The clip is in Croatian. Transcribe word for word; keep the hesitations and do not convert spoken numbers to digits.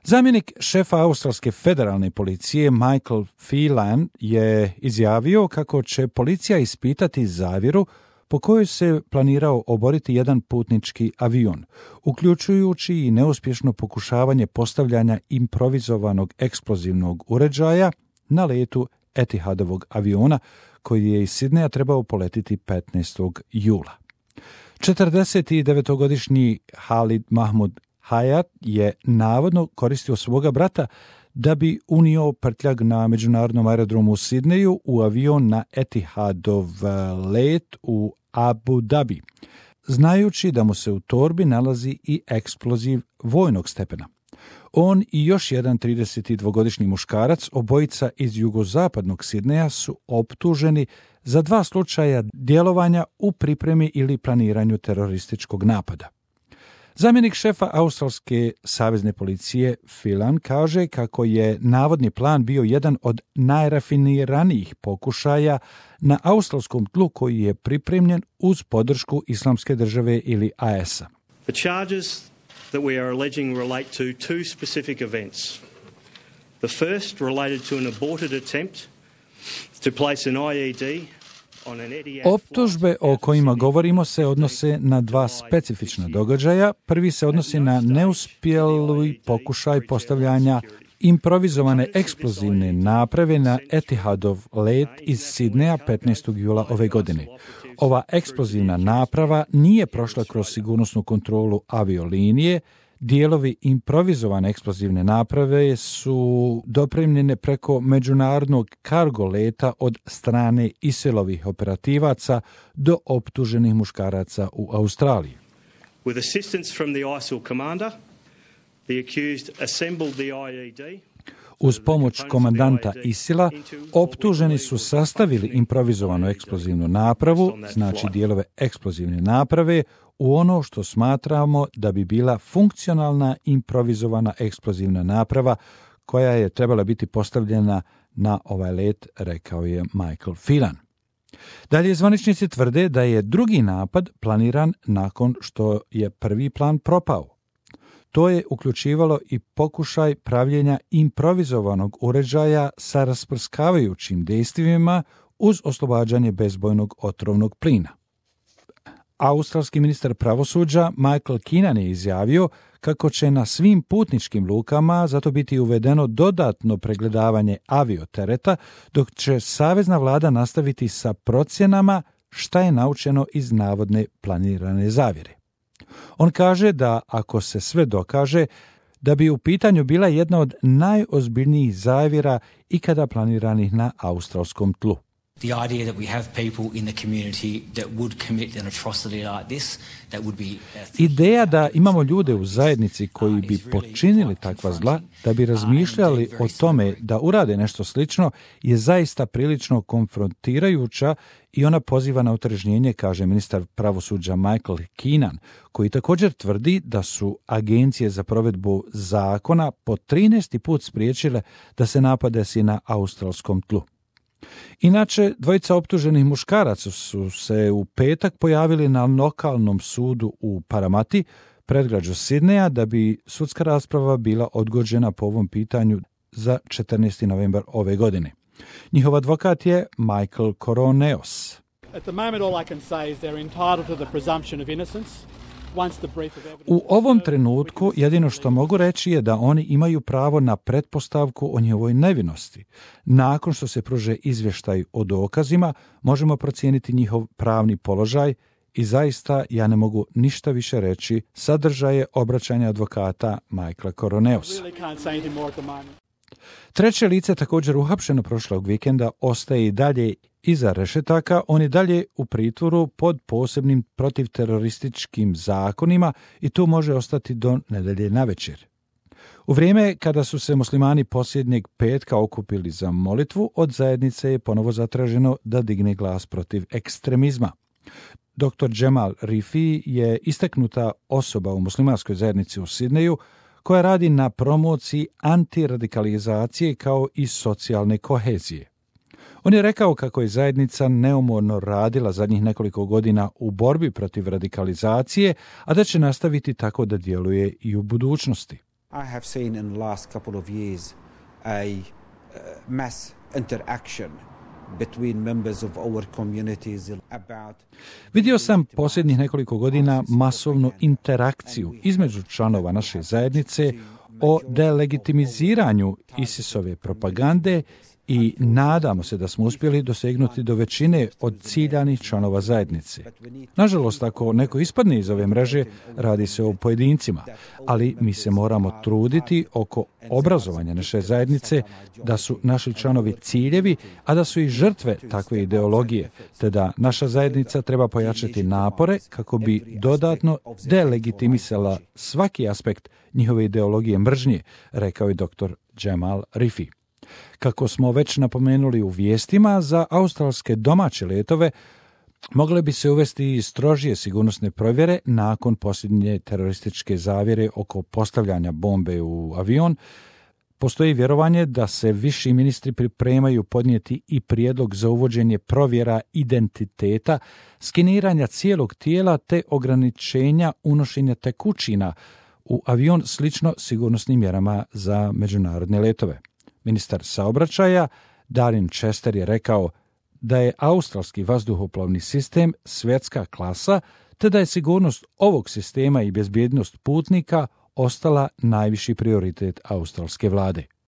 Zamjenik šefa australske federalne policije Michael Phelan je izjavio kako će policija ispitati zavjeru po kojoj se planirao oboriti jedan putnički avion, uključujući i neuspješno pokušavanje postavljanja improvizovanog eksplozivnog uređaja na letu Etihadovog aviona koji je iz Sidneja trebao poletiti petnaestog jula. četrdesetdevetogodišnji Halid Mahmud Hayat je navodno koristio svoga brata da bi unio prtljag na međunarodnom aerodromu u Sidneju u avion na Etihadov let u Abu Dhabi, znajući da mu se u torbi nalazi i eksploziv vojnog stepena. On i još jedan tridesetdvogodišnji muškarac, obojica iz jugozapadnog Sidneja, su optuženi za dva slučaja djelovanja u pripremi ili planiranju terorističkog napada. Zamjenik šefa australske savezne policije Phelan kaže kako je navodni plan bio jedan od najrafiniranijih pokušaja na australskom tlu koji je pripremljen uz podršku Islamske države ili A S A. The charges that we are alleging relate to two specific events. The first related to an aborted attempt to place an I E D. Optužbe o kojima govorimo se odnose na dva specifična događaja. Prvi se odnosi na neuspjeli pokušaj postavljanja improvizovane eksplozivne naprave na Etihadov let iz Sidneja petnaestog jula ove godine. Ova eksplozivna naprava nije prošla kroz sigurnosnu kontrolu aviolinije. Dijelovi improvizovane eksplozivne naprave su dopremljene preko međunarodnog kargo leta od strane ISIL-ovih operativaca do optuženih muškaraca u Australiji. With assistance from the I S I L commander, the accused assembled the I E D. Uz pomoć komandanta ISIL-a, optuženi su sastavili improvizovanu eksplozivnu napravu, znači dijelove eksplozivne naprave, u ono što smatramo da bi bila funkcionalna improvizovana eksplozivna naprava koja je trebala biti postavljena na ovaj let, rekao je Michael Phelan. Dalje, zvaničnici tvrde da je drugi napad planiran nakon što je prvi plan propao. To je uključivalo i pokušaj pravljenja improvizovanog uređaja sa rasprskavajućim dejstvima uz oslobađanje bezbojnog otrovnog plina. Australski ministar pravosuđa Michael Keenan je izjavio kako će na svim putničkim lukama zato biti uvedeno dodatno pregledavanje aviotereta, dok će savezna vlada nastaviti sa procjenama šta je naučeno iz navodne planirane zavjere. On kaže da ako se sve dokaže, da bi u pitanju bila jedna od najozbiljnijih zavjera ikada planiranih na australskom tlu. The idea that we have people in the community that would commit an atrocity like this, that would be... Ideja da imamo ljude u zajednici koji bi počinili takva zla, da bi razmišljali o tome da urade nešto slično, je zaista prilično konfrontirajuća i ona poziva na otrežnjenje, kaže ministar pravosuđa Michael Keenan, koji također tvrdi da su agencije za provedbu zakona po trinaesti put spriječile da se napad desi na australskom tlu. Inače, dvojica optuženih muškaraca su se u petak pojavili na lokalnom sudu u Paramati, predgrađu Sidneja, da bi sudska rasprava bila odgođena po ovom pitanju za četrnaesti novembar ove godine. Njihov advokat je Michael Koroneos. At the moment all I can say is they're entitled to the presumption of innocence. U ovom trenutku jedino što mogu reći je da oni imaju pravo na pretpostavku o njihovoj nevinosti. Nakon što se pruže izvještaj o dokazima, možemo procijeniti njihov pravni položaj i zaista ja ne mogu ništa više reći, sadržaje obraćanja advokata Michaela Koroneosa. Treće lice, također uhapšeno prošlog vikenda, ostaje i dalje iza rešetaka. On je dalje u pritvoru pod posebnim protivterorističkim zakonima i tu može ostati do nedelje navečer. U vrijeme kada su se muslimani posljednjeg petka okupili za molitvu, od zajednice je ponovo zatraženo da digne glas protiv ekstremizma. doktor Jamal Rifi je istaknuta osoba u muslimanskoj zajednici u Sidneju koja radi na promociji antiradikalizacije kao i socijalne kohezije. On je rekao kako je zajednica neumorno radila zadnjih nekoliko godina u borbi protiv radikalizacije, a da će nastaviti tako da djeluje i u budućnosti. I have seen in the last couple of years a uh, mass interaction between members of our communities about... Vidio sam posljednjih nekoliko godina masovnu interakciju između članova naše zajednice o delegitimiziranju ISIS-ove propagande i nadamo se da smo uspjeli dosegnuti do većine od ciljanih članova zajednice. Nažalost, ako neko ispadne iz ove mreže, radi se o pojedincima, ali mi se moramo truditi oko obrazovanja naše zajednice, da su naši članovi ciljevi, a da su i žrtve takve ideologije, te da naša zajednica treba pojačati napore kako bi dodatno delegitimisala svaki aspekt njihove ideologije mržnje, rekao je doktor Jamal Rifi. Kako smo već napomenuli u vijestima, za australske domaće letove mogle bi se uvesti strožije sigurnosne provjere nakon posljednje terorističke zavjere oko postavljanja bombe u avion. Postoji vjerovanje da se viši ministri pripremaju podnijeti i prijedlog za uvođenje provjera identiteta, skeniranja cijelog tijela te ograničenja unošenja tekućina u avion slično sigurnosnim mjerama za međunarodne letove. Ministar saobraćaja Darren Chester je rekao da je australski vazduhoplovni sistem svjetska klasa, te da je sigurnost ovog sistema i bezbjednost putnika ostala najviši prioritet australske vlade.